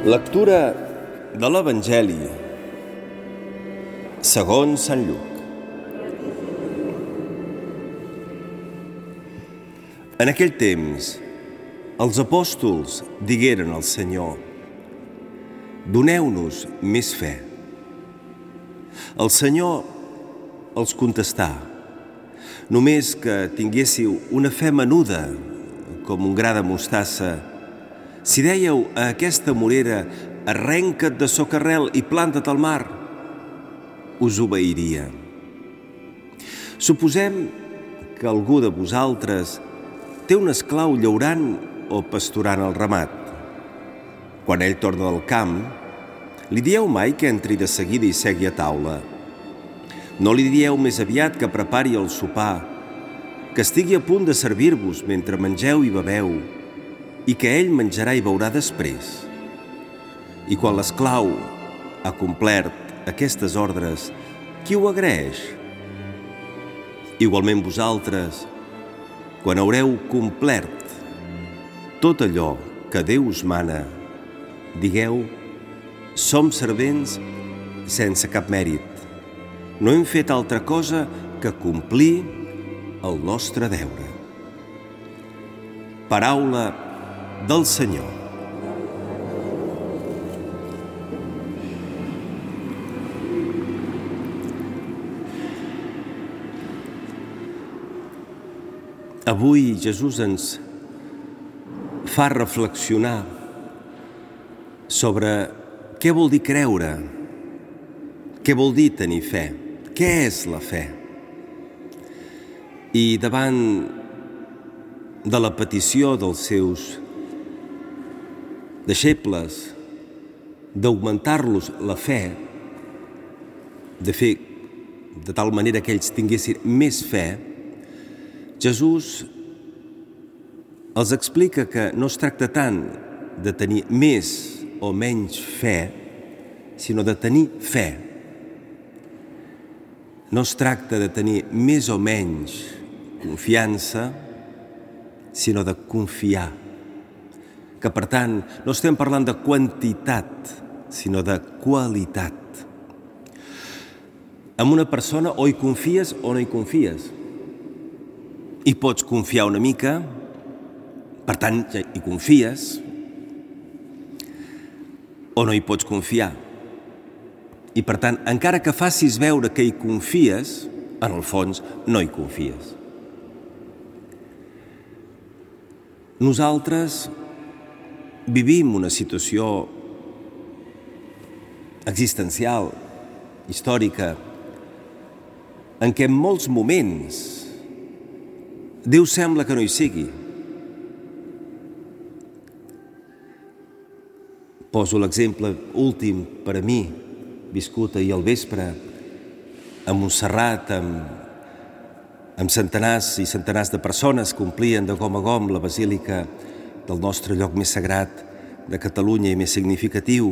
Lectura de l'Evangeli segons Sant Lluc. En aquell temps, els apòstols digueren al Senyor: «Doneu-nos més fe». El Senyor els contestà: «Només que tinguéssiu una fe menuda, com un gra de mostassa, si dèieu a aquesta morera: arrenca't de socarrel i planta't al mar, us obeiria. Suposem que algú de vosaltres té un esclau llaurant o pasturant el ramat. Quan ell torna del camp, li dieu mai que entri de seguida i segui a taula? No li dieu més aviat que prepari el sopar, que estigui a punt de servir-vos mentre mengeu i beveu, i que ell menjarà i beurà després? I quan l'esclau ha complert aquestes ordres, qui ho agraeix? Igualment vosaltres, quan haureu complert tot allò que Déu us mana, digueu: som servents sense cap mèrit. No hem fet altra cosa que complir el nostre deure. Paraula del Senyor. Avui Jesús ens fa reflexionar sobre què vol dir creure, què vol dir tenir fe, què és la fe. I davant de la petició dels seus deixebles d'augmentar-los la fe, de fer de tal manera que ells tinguessin més fe, Jesús els explica que no es tracta tant de tenir més o menys fe, sinó de tenir fe. No es tracta de tenir més o menys confiança, sinó de confiar. Que, per tant, no estem parlant de quantitat, sinó de qualitat. En una persona o hi confies o no hi confies. Hi pots confiar una mica, per tant, hi confies, o no hi pots confiar. I, per tant, encara que facis veure que hi confies, en el fons no hi confies. Nosaltres vivim una situació existencial, històrica, en què en molts moments Déu sembla que no hi sigui. Poso l'exemple últim per a mi, viscut ahir al vespre, a Montserrat, amb centenars i centenars de persones que omplien de gom a gom la basílica del nostre lloc més sagrat de Catalunya i més significatiu,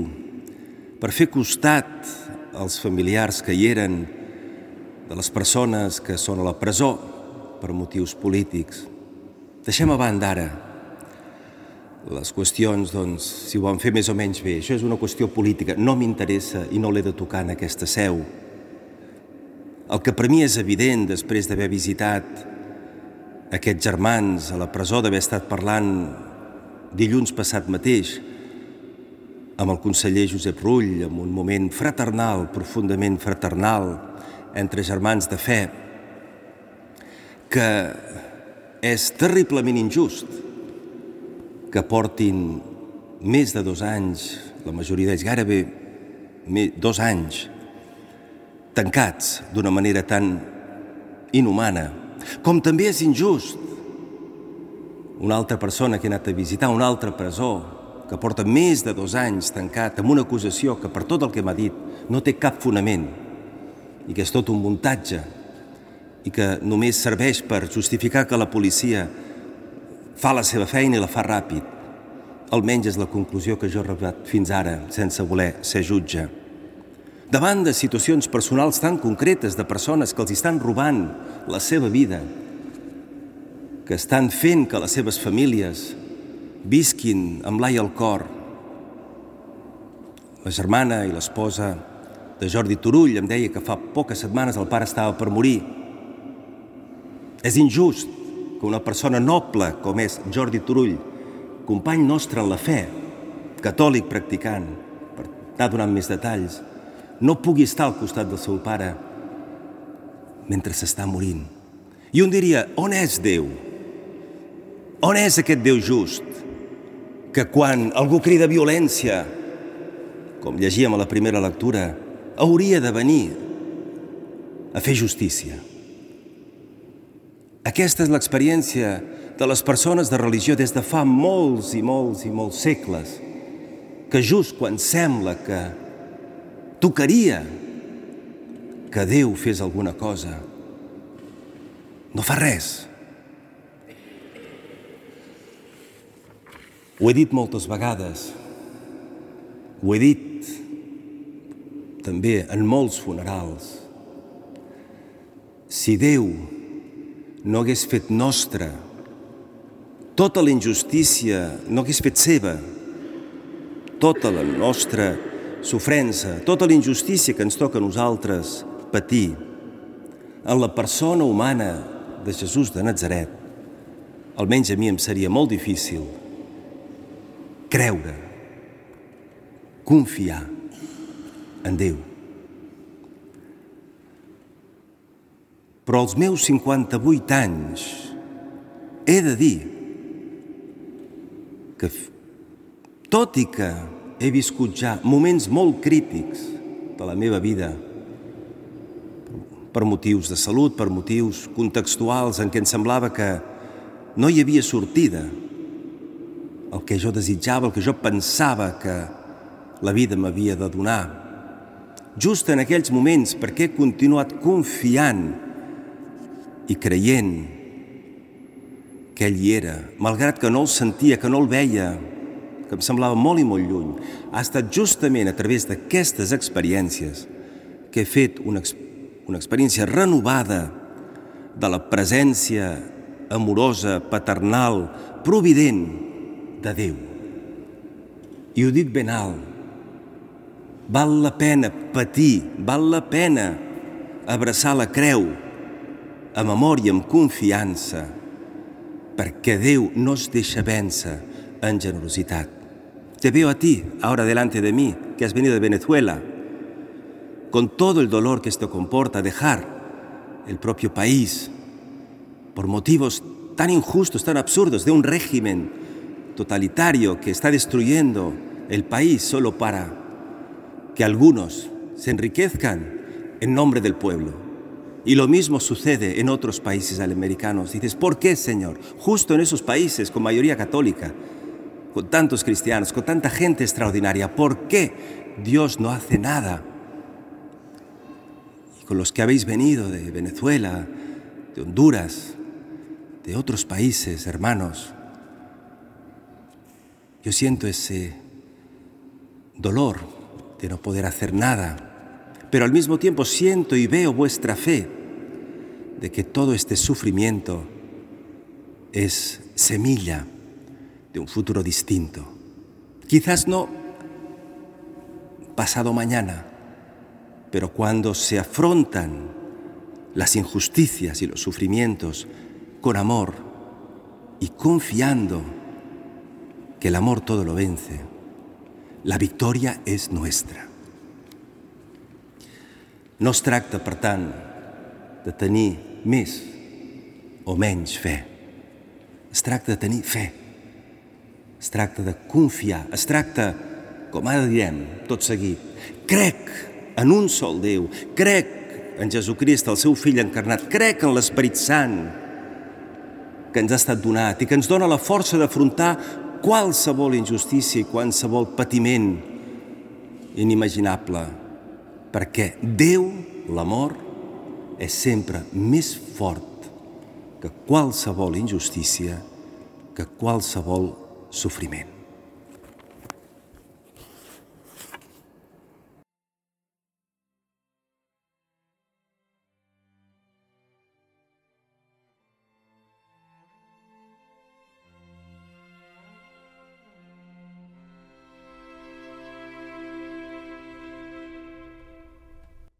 per fer costat als familiars que hi eren, de les persones que són a la presó per motius polítics. Deixem a banda ara les qüestions, doncs, si ho van fer més o menys bé. Això és una qüestió política, no m'interessa i no l'he de tocar en aquesta seu. El que per mi és evident, després d'haver visitat aquests germans a la presó, d'haver estat parlant dilluns passat mateix amb el conseller Josep Rull, en un moment fraternal, profundament fraternal, entre germans de fe, que és terriblement injust que portin més de 2 anys, la majoria d'ells gairebé 2 anys, tancats d'una manera tan inhumana. Com també és injust una altra persona que ha anat a visitar una altra presó, que porta més de 2 anys tancat amb una acusació que, per tot el que m'ha dit, no té cap fonament i que és tot un muntatge i que només serveix per justificar que la policia fa la seva feina i la fa ràpid. Almenys és la conclusió que jo he arribat fins ara, sense voler ser jutge. Davant de situacions personals tan concretes de persones que els estan robant la seva vida, que estan fent que les seves famílies visquin amb l'ai al cor, La germana i l'esposa de Jordi Turull em deia que fa poques setmanes el pare estava per morir. És injust que una persona noble com és Jordi Turull, company nostre en la fe, catòlic practicant, per anar donant més detalls, no pugui estar al costat del seu pare mentre s'està morint. I un diria, on és Déu? On és aquest Déu just? Que quan algú crida violència, com llegíem a la primera lectura, hauria de venir a fer justícia. Aquesta és l'experiència de les persones de religió des de fa molts i molts i molts segles, que just quan sembla que tocaria que Déu fes alguna cosa, no fa res. Ho he dit moltes vegades, ho he dit també en molts funerals. Si Déu no hagués fet nostra tota la injustícia, no hagués fet seva tota la nostra sofrença, tota la injustícia que ens toca a nosaltres patir en la persona humana de Jesús de Natzaret, almenys a mi em seria molt difícil creure, confiar en Déu. Però als meus 58 anys he de dir que, tot i que he viscut ja moments molt crítics de la meva vida, per motius de salut, per motius contextuals en què em semblava que no hi havia sortida, el que jo desitjava, el que jo pensava que la vida m'havia de donar. Just en aquells moments, perquè he continuat confiant i creient que ell hi era, malgrat que no el sentia, que no el veia, que em semblava molt i molt lluny. Ha estat justament a través d'aquestes experiències que he fet una experiència renovada de la presència amorosa, paternal, provident de Déu. I ho dic ben alt. Val la pena patir, val la pena abraçar la creu amb amor i amb confiança, perquè Déu no es deixa vèncer en generositat. Te veo a ti, ahora delante de mí, que has venido de Venezuela, con todo el dolor que esto comporta, dejar el propio país por motivos tan injustos, tan absurdos, de un régimen totalitario que está destruyendo el país solo para que algunos se enriquezcan en nombre del pueblo. Y lo mismo sucede en otros países americanos. Dices, ¿por qué, Señor? Justo en esos países con mayoría católica, con tantos cristianos, con tanta gente extraordinaria, ¿por qué Dios no hace nada? Y con los que habéis venido de Venezuela, de Honduras, de otros países, hermanos, yo siento ese dolor de no poder hacer nada, pero al mismo tiempo siento y veo vuestra fe de que todo este sufrimiento es semilla de un futuro distinto. Quizás no pasado mañana, pero cuando se afrontan las injusticias y los sufrimientos con amor y confiando que el amor todo lo vence, la victòria és nostra. No es tracta, per tant, de tenir més o menys fe. Es tracta de tenir fe. Es tracta de confiar. Es tracta, com ara direm, tot seguit, crec en un sol Déu, crec en Jesucrist, el seu fill encarnat, crec en l'Esperit Sant que ens ha estat donat i que ens dona la força d'afrontar qualsevol injustícia i qualsevol patiment inimaginable, perquè Déu, l'amor, és sempre més fort que qualsevol injustícia, que qualsevol sofriment.